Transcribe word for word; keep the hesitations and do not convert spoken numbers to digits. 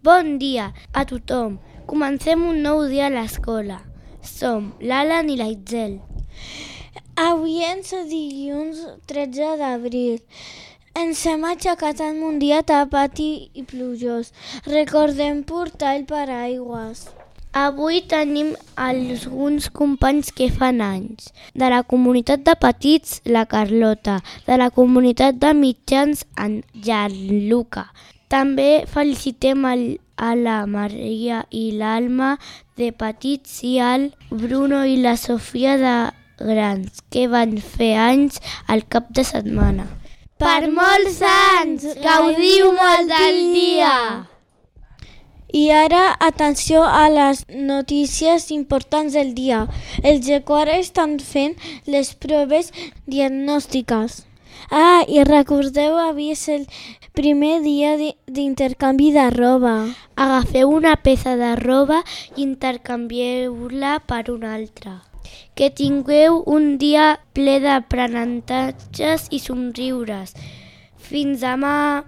Bon dia a tothom. Comencem un nou dia a l'escola. Som l'Alan i l'Aitzel. Avui és dilluns tretze d'abril. Ens hem aixecat en un dia tapat i plujós. Recordem portar el paraigües. Avui tenim alguns companys que fan anys. De la comunitat de petits, la Carlota. De la comunitat de mitjans, en Gianluca. També felicitem el, a la Maria i l'Alma de petits i al Bruno i la Sofia de grans, que van fer anys al cap de setmana. Per molts anys! Gaudiu molt del dia! I ara, atenció a les notícies importants del dia. Els de quart estan fent les proves diagnòstiques. Ah, i recordeu, avui és el primer dia d'intercanvi de roba. Agafeu una peça de roba i intercanvieu-la per una altra. Que tingueu un dia ple d'aprenentatges i somriures. Fins demà!